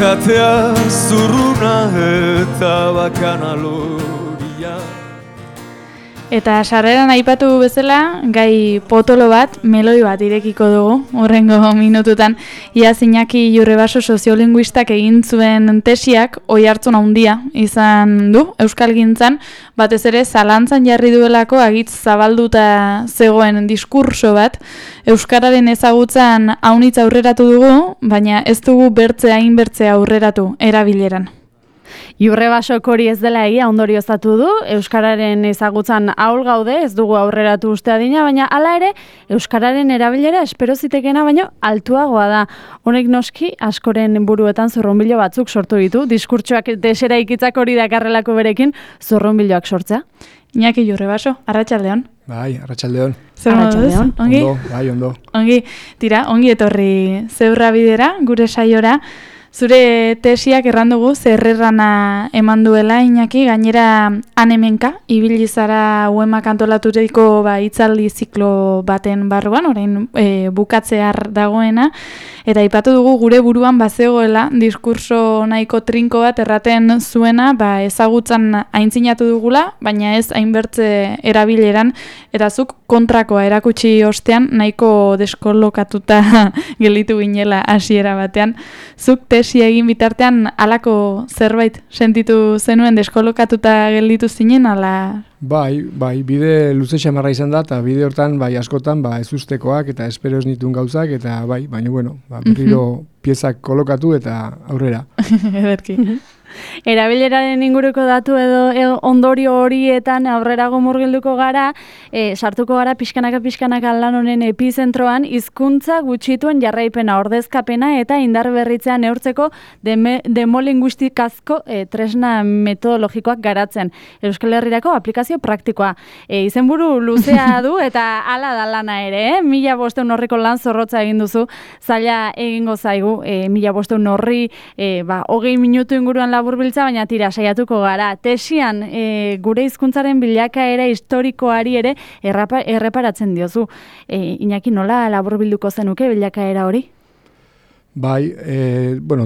izatea zurruna eta bakana loria. Eta sarreran aipatu bezala, gai potolo bat, meloi bat irekiko dugu, horrengo minututan. Iaz Iñaki Jurrebaso soziolinguistak egin zuen tesiak oihartzun handia izan du euskalgintzan, batez ere zalantzan jarri duelako agitz zabalduta zegoen diskurso bat, euskararen ezagutzan aunitz aurreratu dugu, baina ez dugu hain bertze aurreratu erabileran. Jurrebasok hori ez dela egia ondorioztatu du, euskararen ezagutzan ahul gaude, ez dugu aurreratu uste adina, baina hala ere, euskararen erabilera espero zitekena baino altuagoa da. Honek noski askoren buruetan zurrunbilo batzuk sortu ditu, diskurtsoak desera ikitzak hori dakarrelako berekin zurrunbiloak sortzea. Iñaki Jurrebaso, arratsaldeon. Bai, arratsaldeon. Zer moduz? Ongi? Ondo, bai, ondo. Ongi, tira, ongi etorri Zeurra bidera, gure saiora. Zure tesiak errandugu zerrerrana eman duela, Iñaki, gainera anemenka, ibili zara uemak antolaturiko hitzaldi ziklo baten barruan, orain bukatzear dagoena, eta aipatu dugu gure buruan bazegoela diskurso nahiko trinko bat erraten zuena, ezagutzan aintzinatu dugula, baina ez hainbertze erabileran, eta zuk kontrakoa erakutsi ostean nahiko deskolokatuta gelditu ginela hasiera batean. Zuk tesi egin bitartean halako zerbait sentitu zenuen deskolokatuta gelditu zinen, ala? Bai, bide luze xamarra izan da, eta bide hortan, askotan, ez ustekoak, eta espero ez nituen gauzak, eta baina, berriro piezak kolokatu eta aurrera. Ederki. Erabileraren inguruko datu edo ondorio horietan aurrerago murgilduko gara, sartuko gara pixkanaka lan honen epizentroan, hizkuntza gutxituen jarraipena, ordezkapena eta indar berritzea neurtzeko demolinguistikazko tresna metodologikoak garatzen. Euskal Herrirako aplikazio praktikoa. Izenburu luzea du eta hala da lana ere, 1500 horriko lan zorrotza egin duzu, zaila egingo zaigu, 1500 horri 20 minutu inguruan laburbiltza, baina tira saiatuko gara. Tesian gure hizkuntzaren bilakaera historikoari ere erreparatzen diozu. Iñaki, nola laburbilduko zenuke bilakaera hori? Bai,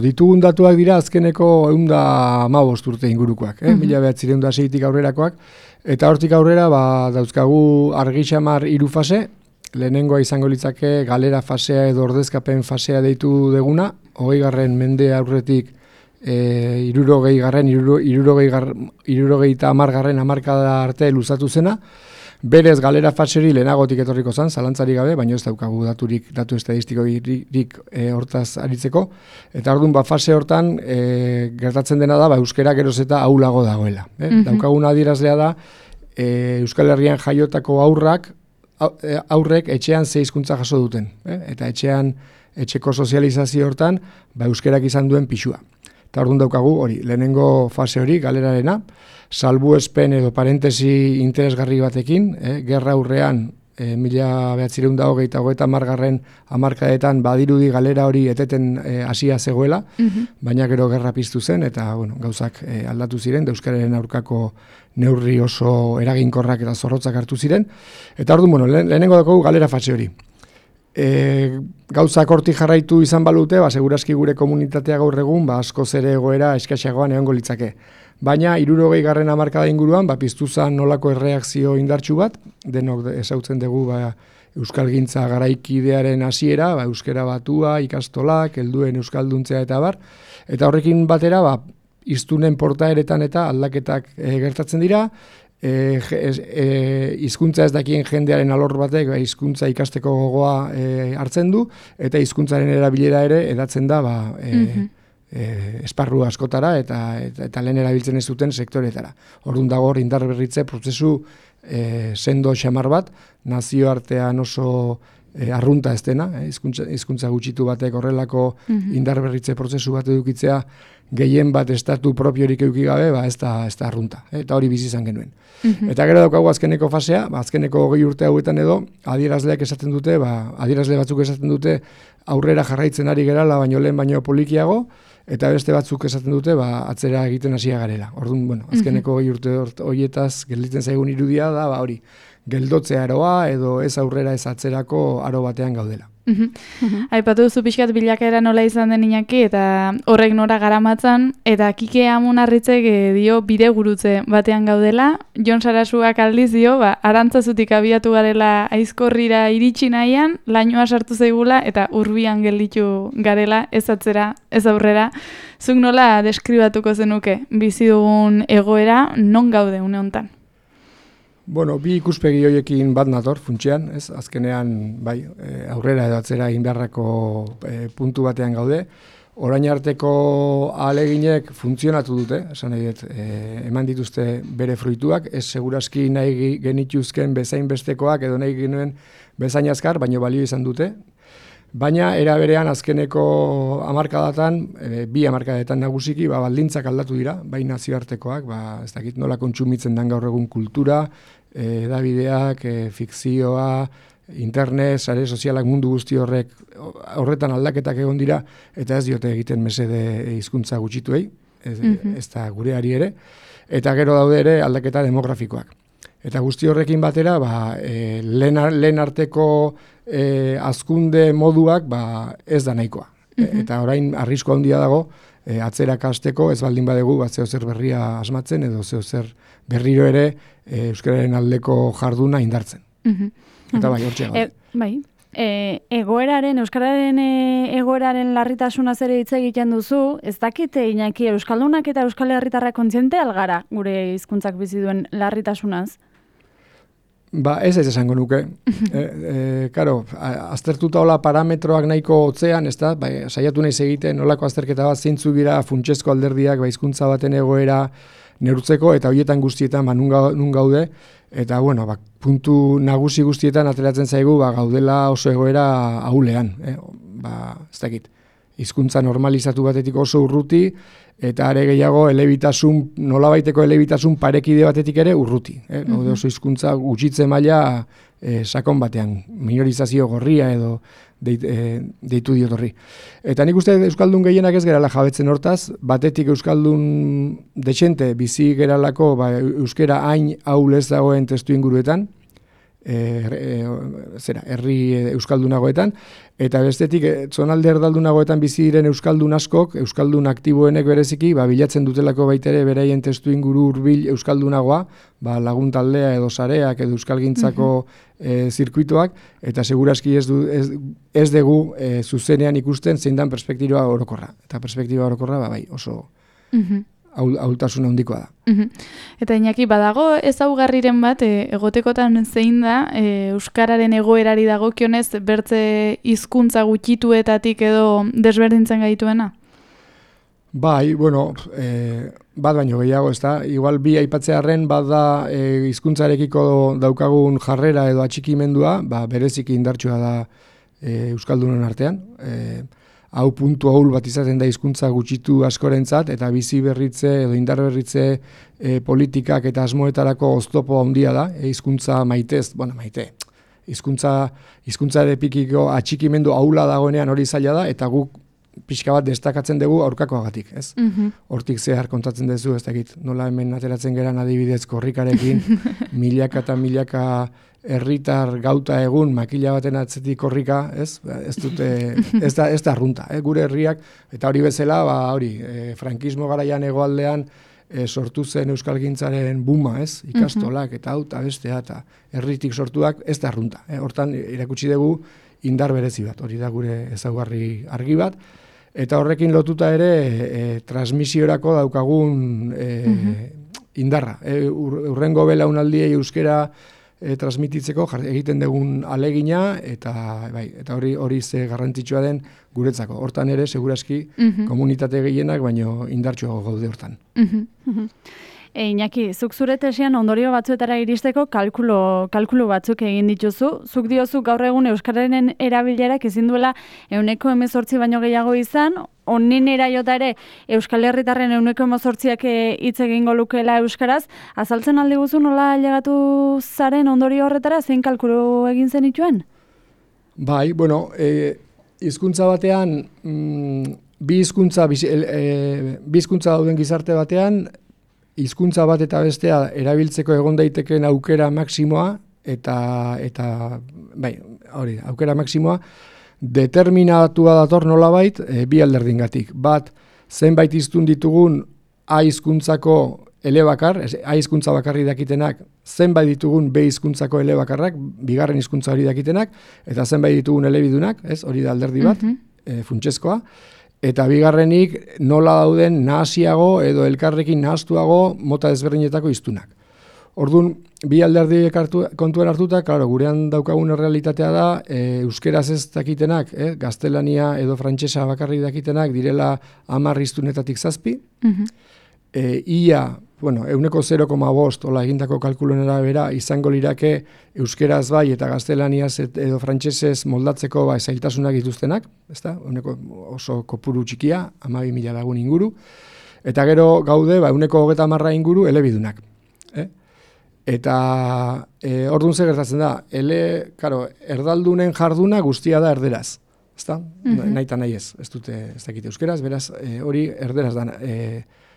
ditugun datuak dira azkeneko 115 urte ingurukoak, 1906tik aurrerakoak, eta hortik aurrera dauzkagu argi xamar 3 fase, lehenengoa izango litzake galera fasea edo ordezkapen fasea deitu deguna, 20. mende aurretik 60. hamarkada arte luzatu zena, berez galera fase hori lehenagotik etorriko zen, zalantzari gabe, baina ez daukagu datu estadistikorik hortaz aritzeko, eta orduan fase hortan gertatzen dena da euskera geroz eta ahulago dagoela. Daukagun adierazlea da Euskal Herrian jaiotako aurrek etxean 6 hizkuntza jaso duten, eta etxeko sozializazio hortan euskerak izan duen pixua. Eta orduan daukagu hori, lehenengo fase hori, galerarena, salbuespen edo parentesi interesgarri batekin, gerra aurrean 1930 hamarkadetan badirudi galera hori eteten hasia zegoela, baina gero gerra piztu zen, eta gauzak aldatu ziren, euskararen aurkako neurri oso eraginkorrak eta zorrotzak hartu ziren, eta orduan, lehenengo daukagu galera fase hori. Gauzak hortik jarraitu izan balute, segurazki gure komunitatea gaur egun, askoz ere egoera eskaxagoan egongo litzake. Baina, 60. hamarkada inguruan, piztu zen nolako erreakzio indartsu bat, denok ezautzen dugu euskalgintza garaikidearen hasiera, euskera batua, ikastolak, helduen euskalduntzea eta bar, eta horrekin batera, hiztunen portaeretan eta aldaketak gertatzen dira, hizkuntza ez dakien jendearen alor batek hizkuntza ikasteko gogoa hartzen du, eta hizkuntzaren erabilera ere edatzen da esparru askotara eta lehen erabiltzen ez duten sektoretara. Orduan dago hor indar berritze prozesu sendo xamar bat, nazioartean oso arrunta ez dena, hizkuntza gutxitu batek horrelako indar berritze prozesu bat edukitzea gehien bat estatu propiorik eduki gabe, ez da arrunta, eta hori bizi izan genuen. Eta gero daukagu azkeneko fasea, azkeneko 20 urte hauetan edo, adierazleak esaten dute, adierazle batzuk esaten dute aurrera jarraitzen ari gerala, baino polikiago, eta beste batzuk esaten dute, atzera egiten hasia garela. Orduan, azkeneko 20 urte horietaz gelditzen zaigun irudia da, hori, geldotzea aroa edo ez aurrera ez atzerako aro batean gaudela. Aipatu duzu pixkat bilakaera nola izan den Iñaki eta horrek nora garamatzan, eta Kike Amunarritzek dio bide gurutze batean gaudela. Jon Sarasuak aldiz dio, Arantzazutik abiatu garela Aizkorrira iritsi nahian, lainoa sartu zaigula eta urbian gelditu garela, ez atzera, ez aurrera. Zuk nola deskribatuko zenuke bizi dugun egoera, non gaude une hontan? Bueno, bi ikuspegi horiekin bat nator, funtsean, ez? Azkenean, bai, aurrera edo atzera egin beharrako puntu batean gaude. Orain arteko ahaleginek funtzionatu dute, esan nahi dut, eman dituzte bere fruituak, ez segurazki nahi genituzken bezain bestekoak edo nahi genuen bezain azkar, baina balio izan dute. Baina, era berean azkeneko hamarkadatan, bi hamarkadetan nagusiki, baldintzak aldatu dira, bai nazioartekoak, ez dakit nola kontsumitzen den gaur egun kultura, edabideak, fikzioa, internet, sare sozialak, mundu guzti horretan aldaketak egon dira, eta ez diote egiten mesede hizkuntza gutxituei, ez da gureari ere, eta gero daude ere aldaketa demografikoak. Eta guzti horrekin batera, lehen arteko hazkunde moduak ez da nahikoa. Eta orain arrisku handia dago, atzerak hasteko ez baldin badegu zeo zer berria asmatzen edo zeo zer berriro ere euskararen aldeko jarduna indartzen. Eta bai, hortxe gaude. Bai. Euskararen egoeraren larritasunaz ere hitz egiten duzu, ez dakite Iñaki, euskaldunak eta euskal herritarrak kontziente algara gure hizkuntzak bizi duen larritasunaz? Ez esango nuke. Karo, aztertuta hola parametroak nahiko hotzean, ez da, saiatu naiz egiten nolako azterketa bat zeintzuk dira funtsezko alderdiak hizkuntza baten egoera neurtzeko, eta horietan guztietan nun gaude, eta bueno, puntu nagusi guztietan ateratzen zaigu gaudela oso egoera ahulean. Ez dakit, hizkuntza normalizatu batetik oso urruti, eta are gehiago nolabaiteko elebitasun parekide batetik ere urruti. Oso hizkuntza gutxitze maila sakon batean, minorizazio gorria edo deitu diot horri. Eta nik uste euskaldun gehienak ez gerala jabetzen hortaz, batetik euskaldun dexente bizi geralako euskera hain ahul ez dagoen testu inguruetan, herri euskaldunagoetan, eta bestetik zonalde erdaldunagoetan bizi diren euskaldun askok, euskaldun aktiboenek bereziki, bilatzen dutelako baitere beraien testu inguru hurbil euskaldunagoa, lagun taldea edo sareak edo euskalgintzako zirkuituak, eta segurazki ez dugu zuzenean ikusten zein dan perspektiba orokorra. Eta perspektiba orokorra, oso ahultasun handikoa da. Eta Iñaki, badago ezaugarriren bat, egotekotan zein da, euskararen egoerari dagokionez bertze hizkuntza gutxituetatik edo desberdintzen gaituena? Bai, bueno, bat baino gehiago, ez da, igual bi aipatzearren bat da hizkuntzarekiko daukagun jarrera edo atxikimendua, bereziki indartsua da euskaldunen artean, hau puntu ahul bat izaten da hizkuntza gutxitu askorentzat, eta bizi berritze edo indar berritze politikak eta asmoetarako oztopo handia da, hizkuntza maitez, maite, hizkuntza epikiko atxikimendu ahula dagoenean hori zaila da, eta guk pixka bat destakatzen dugu aurkakoagatik, ez? Hortik zehar kontatzen duzu, ez dakit, nola hemen ateratzen geran adibidez korrikarekin, milaka eta milaka herritar gauta egun makila baten atzetik korrika, ez? Ez da arrunta, gure herriak, eta hori bezala, frankismo garaian hegoaldean sortu zen euskalgintzaren buma, ez? Ikastolak eta hau eta bestea eta herritik sortuak, ez da arrunta. Hortan irakutsi dugu indar berezi bat, hori da gure ezaugarri argi bat, eta horrekin lotuta ere transmisiorako daukagun indarra. Urrengo belaunaldiei euskera transmititzeko egiten dugun alegina, eta hori ze garrantzitsua den guretzako. Hortan ere, segurazki, komunitate gehienak, baino indartsuago gaude hortan. Iñaki, zuk zure tesian ondorio batzuetara iristeko kalkulu batzuk egin dituzu. Zuk diozu gaur egun euskararen erabilerak ezin duela 18% baino gehiago izan, onenera jota ere Euskal Herritarren 18%ak hitz egingo lukeela euskaraz. Azaltzen aldi guzu nola ailegatu zaren ondorio horretara, zein kalkulu egin zenituen? Bai, bueno, hizkuntza batean, bi hizkuntza dauden gizarte batean, hizkuntza bat eta bestea erabiltzeko egon daitekeen aukera maksimoa, eta aukera maksimoa, determinatua dator nolabait bi alderdingatik. Bat, zenbait hiztun ditugun A hizkuntzako elebakar, A hizkuntza bakarri dakitenak, zenbait ditugun B hizkuntzako elebakarrak, bigarren hizkuntza hori dakitenak, eta zenbait ditugun elebidunak, ez, hori da alderdi bat, funtsezkoa, eta bigarrenik nola dauden nahasiago edo elkarrekin nahastuago mota ezberdinetako hiztunak. Orduan, bi alderdi kontuan hartuta, claro, gurean daukagun errealitatea da, euskeraz ez dakitenak, gaztelania edo frantsesa bakarri dakitenak direla 10 hiztunetatik 7, ia, bueno, 0,5 hola egindako kalkuluen arabera izango lirake euskeraz bai eta gaztelaniaz edo frantsesez moldatzeko zailtasunak dituztenak, ezta? Oso kopuru txikia, 12.000 lagun inguru, eta gero gaude 30% inguru elebidunak. Eta orduan ze gertatzen da, erdaldunen jarduna guztia da erderaz, ezta? Nahi eta nahi ez dakite euskeraz, beraz hori erderaz da,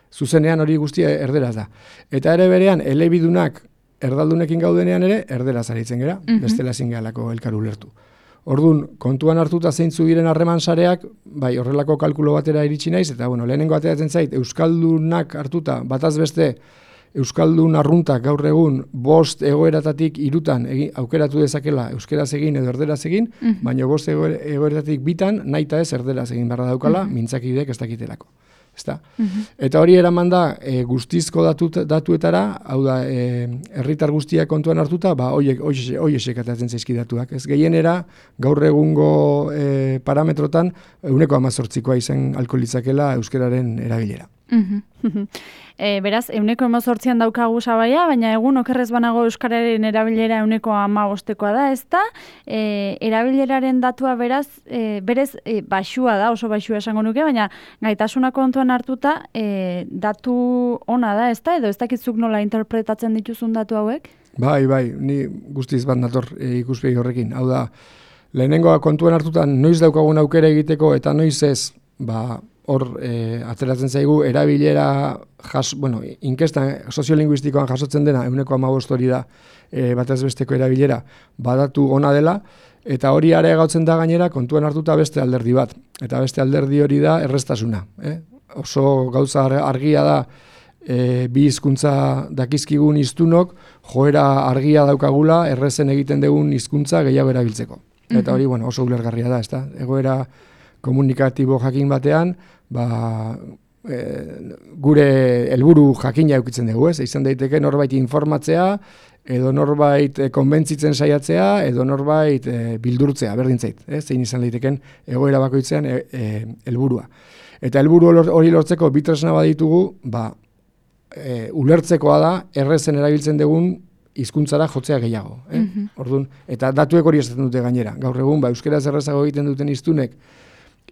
zuzenean hori guztia erderaz da. Eta ere berean, elebidunak erdaldunekin gaudenean ere, erderaz aritzen gera, bestela ezin gehalako elkar ulertu. Orduan, kontuan hartuta zeintzu diren harreman sareak, bai, horrelako kalkulo batera iritsi naiz, eta lehenengo ateratzen zait, euskaldunak hartuta, bataz beste, euskaldun arruntak gaur egun 5 egoeratatik 3 aukeratu dezakela euskeraz egin edo erderaz egin, baina 5 egoeratatik 2 nahita ez erderaz egin barra daukala, mintzakidek ez dakitelako. Eta hori eraman da guztizko datuetara, hau da, herritar guztiak kontuan hartuta, hoiesek atatzen zaizkidatuak. Ez gehienera, gaur egungo parametrotan, 18%koa izan alko litzakela euskeraren erabilera. Beraz, 18%an daukagu sabaia, baina egun okerrez banago euskararen erabilera 15%koa da, ez da? Erabileraren datua beraz, berez baxua da, oso baxua esango nuke, baina gaitasuna kontuan hartuta datu ona da, ez da? Edo ez dakitzuk nola interpretatzen dituzun datu hauek? Bai, ni guztiz bat nator ikuspegi horrekin. Hau da, lehenengoa kontuan hartuta noiz daukagun aukera egiteko eta noiz ez, hor ateratzen zaigu erabilera, inkestan soziolinguistikoan jasotzen dena, 15% hori da batez besteko erabilera, badatu ona dela, eta hori areagotzen da gainera kontuan hartuta beste alderdi bat. Eta beste alderdi hori da erraztasuna. Oso gauza argia da, bi hizkuntza dakizkigun hiztunok, joera argia daukagula, errezen egiten dugun hizkuntza gehiago erabiltzeko. Eta hori, oso ulergarria da, ezta? Egoera komunikatibo jakin batean, gure helburu jakina eukitzen dugu, ez? Izan daiteke norbait informatzea, edo norbait konbentzitzen saiatzea, edo norbait bildurtzea, berdintzait, zein izan daiteken egoera bakoitzean helburua. Eta helburu hori lortzeko bi tresna baditugu, ulertzekoa da, errezen erabiltzen dugun hizkuntzara jotzea gehiago. Orduan, eta datuek hori esaten dute gainera. Gaur egun, euskeraz errezago egiten duten hiztunek,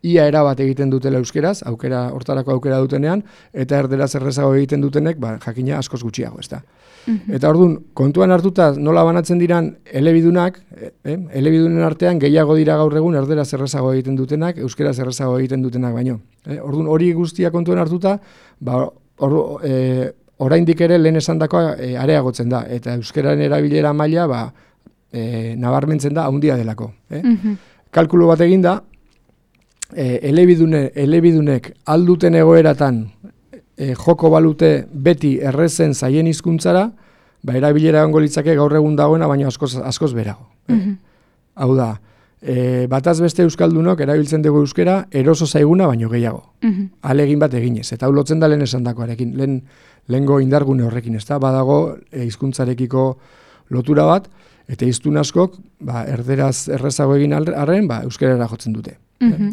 ia erabat egiten dutela euskeraz, hortarako aukera dutenean, eta erderaz errezago egiten dutenek, jakina askoz gutxiago, ez da. Eta orduan, kontuan hartuta nola banatzen diran elebidunak, elebidunen artean gehiago dira gaur egun erderaz errezago egiten dutenak, euskeraz errezago egiten dutenak baino. Orduan, hori guztia kontuan hartuta, oraindik ere lehen esandakoa areagotzen da, eta euskeraren erabilera maila nabarmentzen da handia delako. Kalkulu bat egin da, elebidunek alduten egoeratan joko balute beti errezen zaien hizkuntzara, erabilera egongo litzake gaur egun dagoena, baina askoz berago. Hau da, bataz beste euskaldunok erabiltzen dugu euskera eroso zaiguna baino gehiago. Alegin bat eginez, eta hau lotzen da lehen esandakoarekin, lehengo indargune horrekin, ez da, badago hizkuntzarekiko lotura bat, eta hiztun askok, erderaz errezago egin arren, euskerara jotzen dute.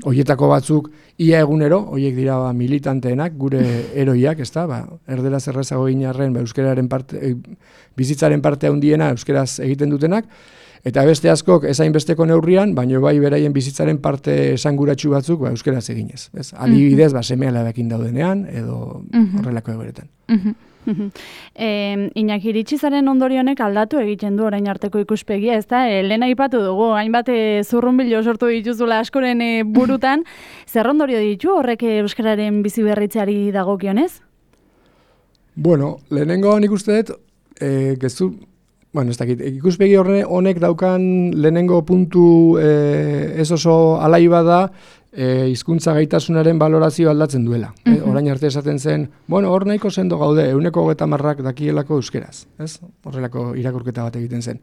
Hoietako batzuk ia egunero, hoiek dira militanteenak, gure eroiak, ez da, erderaz errezago egin arren, euskeraren bizitzaren parte handiena euskeraz egiten dutenak, eta beste askok ezain besteko neurrian, baino beraien bizitzaren parte esanguratsu batzuk euskeraz eginez. Adibidez, seme-alabekin daudenean, edo horrelako egoeretan. Iñaki, iritsizaren ondorionek aldatu egiten du orain arteko ikuspegia, ez da? Lehen aipatu dugu, hainbat zurrunbilo sortu dituzula askoren burutan, zer ondorio ditu horrek euskararen bizi berritzeari dagokionez? Lehenengo nik uste dut, Bueno, ez dakit, ikuspegi honek daukan lehenengo puntu ez oso alaiba da, hizkuntza gaitasunaren balorazio aldatzen duela. Orain arte esaten zen, bueno, hor nahiko sendo gaude, 130 dakielako euskeraz, ez? Horrelako irakurketa bat egiten zen.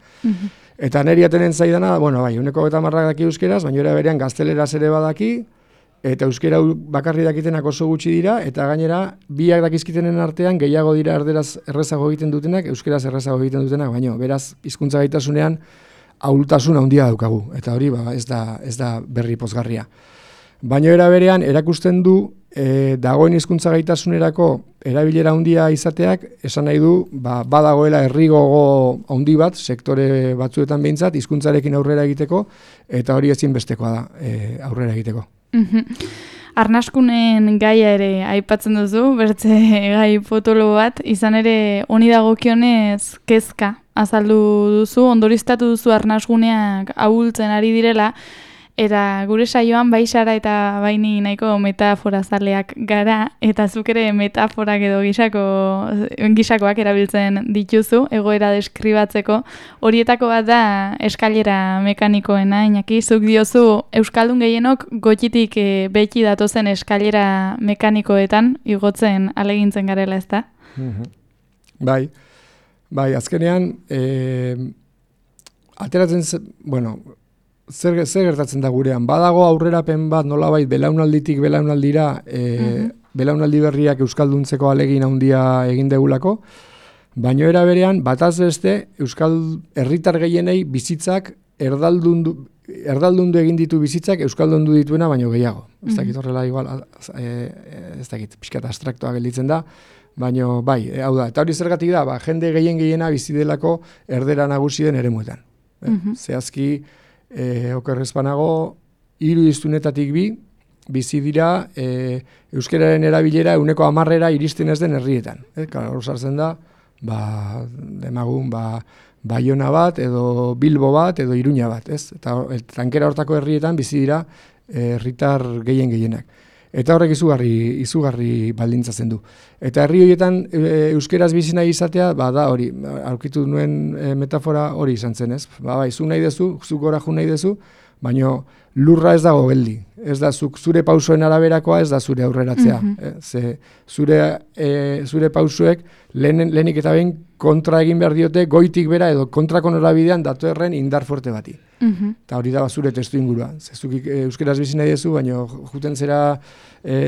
Eta neri atenen zaidana, bueno, bai, 130 daki euskeraz, baina era berean gazteleraz ere badaki, eta euskera bakarri dakitenak oso gutxi dira, eta gainera, biak dakizkitenen artean gehiago dira erderaz errezago egiten dutenak, euskeraz errezago egiten dutenak, baina beraz, hizkuntza gaitasunean ahultasun handia daukagu, eta hori ez da berri pozgarria. Baina era berean, erakusten du, dagoen hizkuntza gaitasunerako erabilera handia izateak, esan nahi du, badagoela herrigogo handi bat, sektore batzuetan behintzat, hizkuntzarekin aurrera egiteko, eta hori ezinbestekoa da aurrera egiteko. Arnaskunen gaia ere aipatzen duzu, bertze gai potolo bat, izan ere honi dagokionez kezka azaldu duzu, ondoriztatu duzu arnasguneak ahultzen ari direla, eta gure saioan bai Sara eta baini nahiko metafora zaleak gara, eta zuk ere metaforak edo gisakoak erabiltzen dituzu, egoera deskribatzeko. Horietako bat da eskailera mekanikoena, Iñaki, zuk diozu euskaldun gehienok goitik beti datozen eskailera mekanikoetan igotzen alegintzen garela, ezta? Bai, azkenean ateratzen, zer gertatzen da gurean? Badago aurrerapen bat nolabait belaunalditik belaunaldira, belaunaldi berriak euskalduntzeko alegin handia egin degulako, baina era berean bataz beste euskal herritar gehienei bizitzak erdaldundu egin ditu bizitzak euskaldundu dituena baino gehiago. Ez dakit horrela igual, ez dakit, pixkat abstraktoa gelditzen da, baino bai, hau da, eta hori zergatik da, jende gehiena bizi delako erdera nagusi den eremuetan. Zehazki, okerrezpanago, 3 hiztunetatik 2 bizi dira euskararen erabilera 10% iristen ez den herrietan. Hor sartzen da, demagun, Baiona bat, edo Bilbo bat, edo Iruña bat, ez? Eta tankera hortako herrietan bizi dira herritar gehienak. Eta horrek izugarri baldintzatzen du. Eta herri horietan euskeraz bizi nahi izatea, da hori, aurkitu nuen metafora hori izan zen, ez? Bai, zu nahi dezu, zu gora jo nahi dezu, baina lurra ez dago geldi. Ez da, zure pausoen araberakoa ez da zure aurreratzea. Ze zure pausoek lehenik eta behin kontra egin behar diote, goitik bera edo kontrako norabidean datorren indar fuerte bati. Eta hori da zure testu ingurua. Zezuk euskeraz bizi nahi dezu, baina juten zera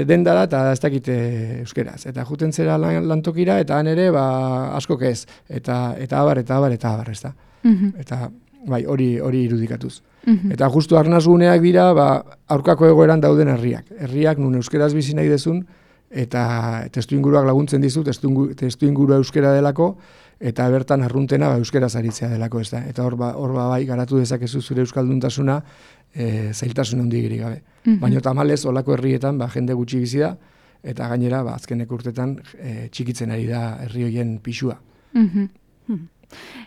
dendara eta ez dakite euskeraz. Eta juten zera lantokira eta han ere askok ez. Eta abar, ez da. Eta bai, hori irudikatuz. Eta justu arnasguneak dira aurkako egoeran dauden herriak. Herriak nun euskeraz bizi nahi dezun, eta testu inguruak laguntzen dizu, testu ingurua euskera delako, eta bertan arruntena euskeraz aritzea delako, ez da. Eta hor bai garatu dezakezu zure euskalduntasuna zailtasun handirik gabe. Baina tamalez olako herrietan jende gutxi bizi da, eta gainera azkeneko urtetan txikitzen ari da herri hoien pisua.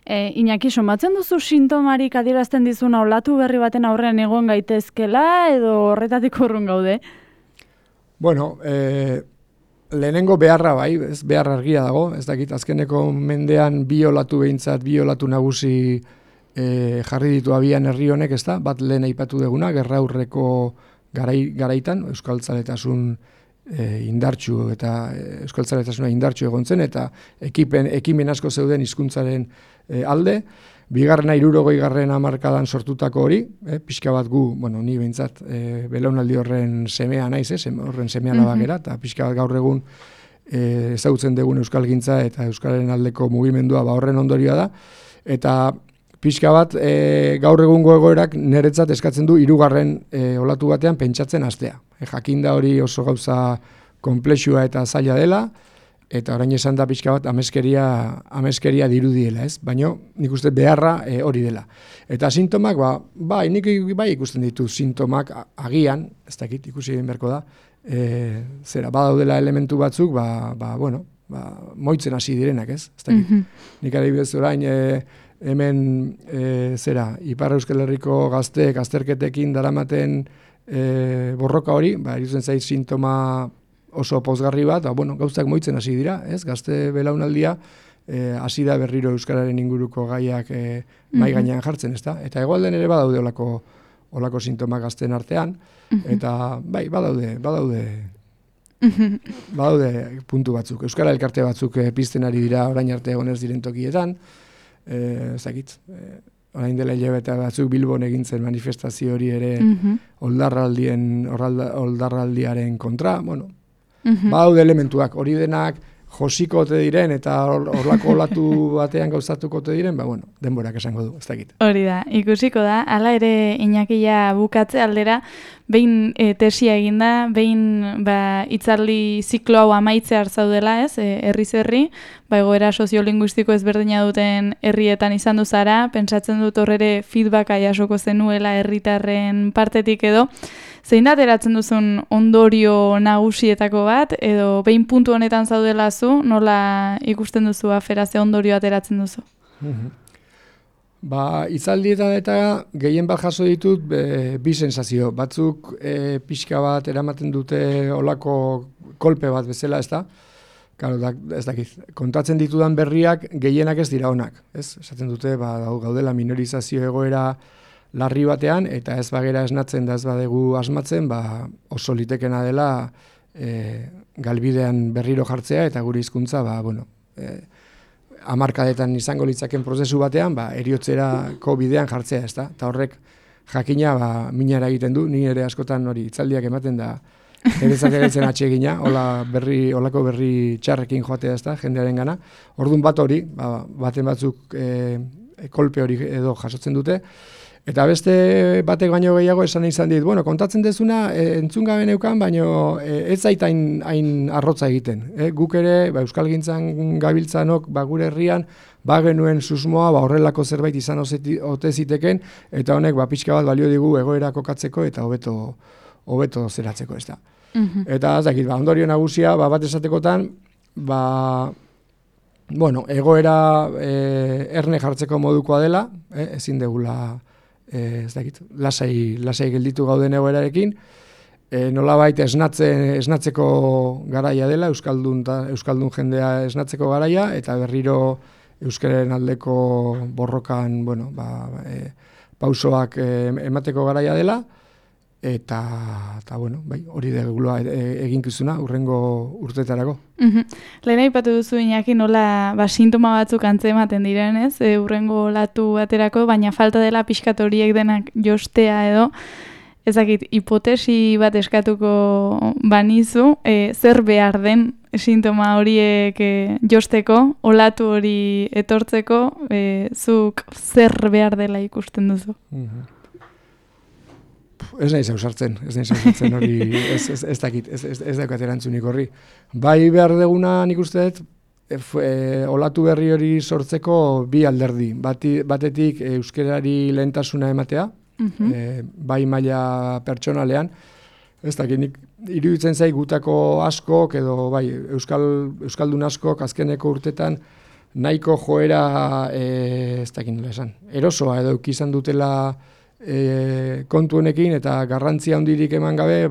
Iñaki, somatzen duzu sintomarik adierazten dizuna olatu berri baten aurrean egon gaitezkela edo horretatik urrun gaude? Bueno, lehenengo beharra bai, ez behar argia dago, ez dakit azkeneko mendean bi olatu nagusi jarri ditu abian herri honek, ez da, bat lehen aipatu deguna, gerra aurreko garaitan, euskaltzaletasun indartsu eta euskaltzaletasuna indartsu egon zen eta ekimen asko zeuden hizkuntzaren alde. Bigarrena 60. hamarkadan sortutako hori, pixka bat gu, ni behintzat belaunaldi horren semea naiz, horren semea labakera, eta pixka bat gaur egun ezagutzen dugun euskalgintza eta euskalaren aldeko mugimendua horren ondorioa da, eta pixka bat gaur egungo egoerak niretzat eskatzen du 3. Olatu batean pentsatzen hastea. Jakinda hori oso gauza konplexua eta zaila dela, eta orain esan da pixka bat ameskeria dirudiela, ez? Baina nik uste beharra hori dela. Eta sintomak, nik ikusten ditu sintomak agian, ez dakit ikusi egin beharko da, badaudela elementu batzuk, moitzen hasi direnak, ez? Ez dakit. Nik adibidez orain, hemen Ipar Euskal Herriko gazteek azterketekin daramaten borroka hori, iruditzen zait sintoma oso pozgarri bat, gauzak moitzen hasi dira, ez? Gazte belaunaldia hasi da berriro euskararen inguruko gaiak mai gainean jartzen, ezta? Eta hegoaldean ere badaude olako sintomak gazten artean, eta bai, badaude puntu batzuk. Euskara elkarte batzuk pizten ari dira orain arte egon ez diren tokietan, orain dela hilabete batzuk Bilbon egin zen manifestazio hori ere oldarraldiaren kontra, bueno, badaude elementuak, hori denak josiko ote diren eta horlako olatu batean gauzatuko ote diren, bueno, denborak esango du, ez dakit. Hori da, ikusiko da, hala ere Iñakia bukatze aldera, behin tesia eginda, behin hitzaldi ziklo hau amaitzear zaudela, ez, herriz herri, egoera soziolinguistiko ezberdina duten herrietan izan duzara, pentsatzen dut horrere feedbacka jasoko zenuela herritarren partetik edo, zein da ateratzen duzun ondorio nagusietako bat, edo behin puntu honetan zaudela zu, nola ikusten duzu afera ze ondorio ateratzen duzu? Hitzaldietan eta gehien bat jaso ditut bi sensazio. Batzuk pixka bat eramaten dute olako kolpe bat bezala, ez da? Claro, ez dakit, kontatzen ditudan berriak gehienak ez dira onak. Esaten dute, gaudela minorizazio egoera larri batean, eta ez bagera esnatzen da ez badegu asmatzen, oso litekena dela galbidean berriro jartzea, eta gure hizkuntza, hamarkadetan izango litzaken prozesu batean, eriotzerako bidean jartzea, ez da? Eta horrek jakina minara egiten du, ni ere askotan hori hitzaldiak ematen da, erezatzen atsegina, olako berri txarrekin joatea, ez da, jendearen gana. Orduan bat hori, baten batzuk kolpe hori edo jasotzen dute, eta beste batek baino gehiago esan izan dit, kontatzen dezuna entzun gabe neukan, baino ez zait hain arrotza egiten. Guk ere, euskalgintzan gabiltzanok, gure herrian, genuen susmoa, horrelako zerbait izan ote ziteken, eta honek pixka bat balio digu egoera kokatzeko eta hobeto zeratzeko, ez da. Eta, ez dakit, ondorio nagusia, bat esatekotan, egoera erne jartzeko modukoa dela, ezin degula, ez dakit, lasai gelditu gauden egoerarekin, nolabait esnatzeko garaia dela, euskaldun jendea esnatzeko garaia, eta berriro euskararen aldeko borrokan, pausoak emateko garaia dela, eta hori degula eginkizuna urrengo urtetarako. Lehen aipatu duzu Iñaki nola sintoma batzuk antzematen diren, ez? Urrengo olatu baterako, baina falta dela pixkat horiek denak jostea edo, ezakit, hipotesi bat eskatuko banizu, zer behar den sintoma horiek josteko, olatu hori etortzeko, zuk zer behar dela ikusten duzu? Ez nahi zauzartzen hori, ez dakit, ez daukat erantzunik horri. Bai behar deguna nik uste dut, olatu berri hori sortzeko bi alderdi. Batetik euskerari lehentasuna ematea, bai maila pertsonalean, ez dakit, nik iruditzen zai gutako askok, edo bai euskaldun askok azkeneko urtetan, nahiko joera, ez dakit nola esan, erosoa edo izan dutela kontu honekin eta garrantzia handirik eman gabe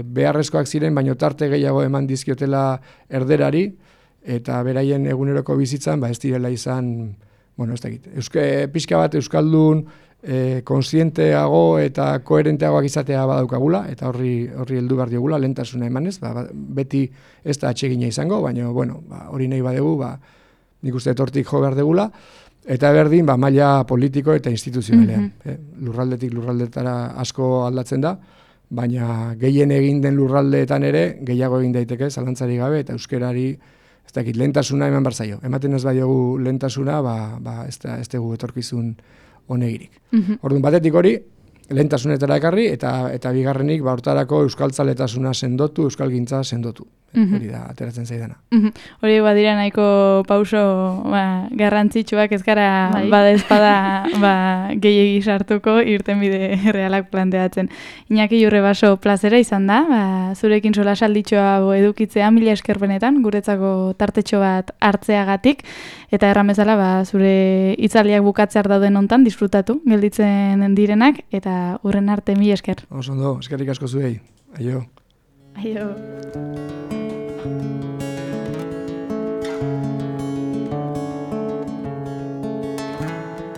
beharrezkoak ziren, baino tarte gehiago eman dizkiotela erderari eta beraien eguneroko bizitzan ez direla izan, ez dakit, pixka bat euskaldun konsienteago eta koherenteagoak izatea badaukagula eta horri heldu behar diogula lehentasuna emanez, beti ez da atsegina izango, baina hori nahi badegu, nik uste hortik jo behar degula. Eta berdin, maila politiko eta instituzionalean. Lurraldetik lurraldetara asko aldatzen da, baina gehien egin den lurraldeetan ere, gehiago egin daiteke, zalantzari gabe, eta euskerari, ez dakit, lehentasuna eman barzaio. Ematen ez badiogu lehentasuna, ez dugu etorkizun honegirik. Orduan, batetik hori, lehentasunetara ekarri, eta bigarrenik, hortarako euskaltzaletasuna sendotu, euskalgintza sendotu. Hori da, ateratzen zaidana. Hori badira nahiko pauso garrantzitsuak ez gara bada ezpada gehiegi sartuko irtenbide realak planteatzen. Iñaki Jurrebaso plazera izan da, zurekin sola salditxoa edukitzea, mila esker benetan, guretzako tartetxo bat hartzeagatik, eta erran bezala zure hitzaldiak bukatzear dauden hontan disfrutatu, gelditzen direnak, eta hurren arte mila esker. Oso ondo, eskerrik asko zuei. Aio. Aio.